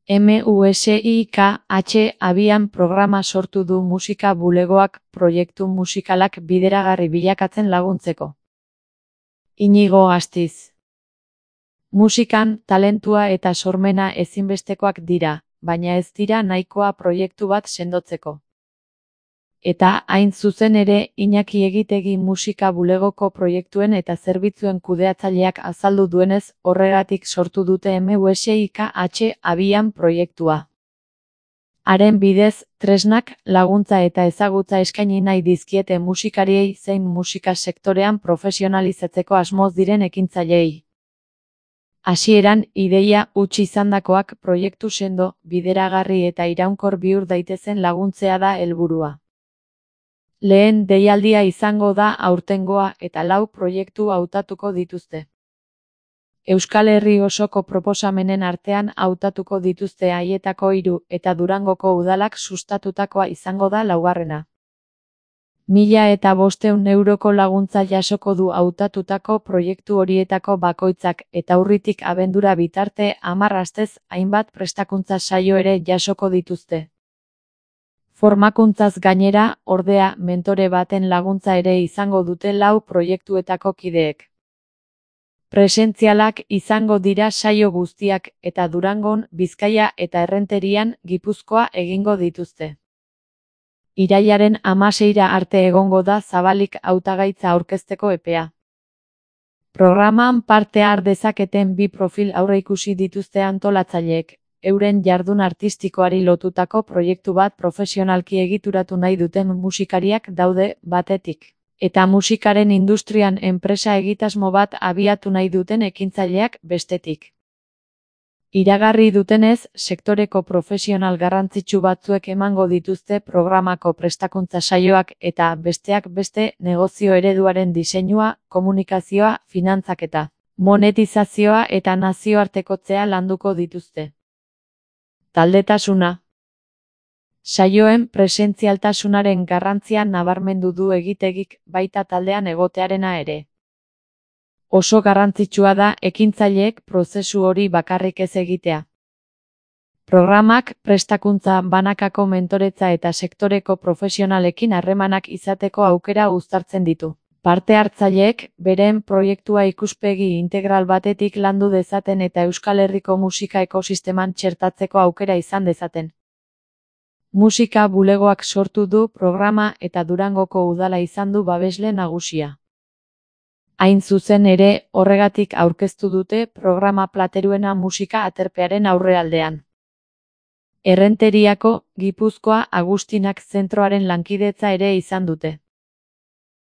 MUSIKH abian programa sortu du musika bulegoak proiektu musikalak bideragarri bilakatzen laguntzeko. Iñigo Astiz. Musikan, talentua eta sormena ezinbestekoak dira, baina ez dira nahikoa proiektu bat sendotzeko. Eta, hain zuzen ere, Iñaki Egitegi musika bulegoko proiektuen eta zerbitzuen kudeatzaileak azaldu duenez, horregatik sortu dute MUSIKH abian proiektua. Haren bidez, tresnak, laguntza eta ezagutza eskaini nahi dizkiete musikariei zein musika sektorean profesionalizatzeko asmoz diren ekintzaileei. Hasieran, ideia huts izandakoak proiektu sendo, bideragarri eta iraunkor bihur daitezen laguntzea da helburua. Lehen deialdia izango da aurtengoa eta 4 proiektu hautatuko dituzte. Euskal Herri osoko proposamenen artean hautatuko dituzte haietako 3 eta Durangoko udalak sustatutakoa izango da 4. 1.500 euroko laguntza jasoko du hautatutako proiektu horietako bakoitzak eta urritik abendura bitarte 10 astez hainbat prestakuntza saio ere jasoko dituzte. Formakuntzaz gainera, ordea, mentore baten laguntza ere izango dute 4 proiektuetako kideek. Presentzialak izango dira saio guztiak eta Durangon, Bizkaia eta Errenterian, Gipuzkoa egingo dituzte. Irailaren 16 arte egongo da zabalik hautagaitza aurkezteko epea. Programan parte har dezaketen 2 profil aurreikusi dituzte antolatzaileek. Euren jardun artistikoari lotutako proiektu bat profesionalki egituratu nahi duten musikariak daude batetik, eta musikaren industrian enpresa egitasmo bat abiatu nahi duten ekintzaileak bestetik. Iragarri dutenez, sektoreko profesional garrantzitsu batzuek emango dituzte programako prestakuntza saioak eta besteak beste negozio ereduaren diseinua, komunikazioa, finantzaketa, monetizazioa eta nazioartekotzea landuko dituzte. Taldetasuna. Saioen presentzialtasunaren garrantzia nabarmendu du Egitegik baita taldean egotearena ere. Oso garrantzitsua da ekintzaileek prozesu hori bakarrik ez egitea. Programak prestakuntza banakako mentoretza eta sektoreko profesionalekin harremanak izateko aukera uztartzen ditu. Parte hartzaileek beren proiektua ikuspegi integral batetik landu dezaten eta Euskal Herriko musika ekosisteman txertatzeko aukera izan dezaten. Musika bulegoak sortu du programa eta Durangoko udala izan du babesle nagusia. Hain zuzen ere, horregatik aurkeztu dute programa Plateruena musika aterpearen aurrealdean. Errenteriako, Gipuzkoa, Agustinak zentroaren lankidetza ere izan dute.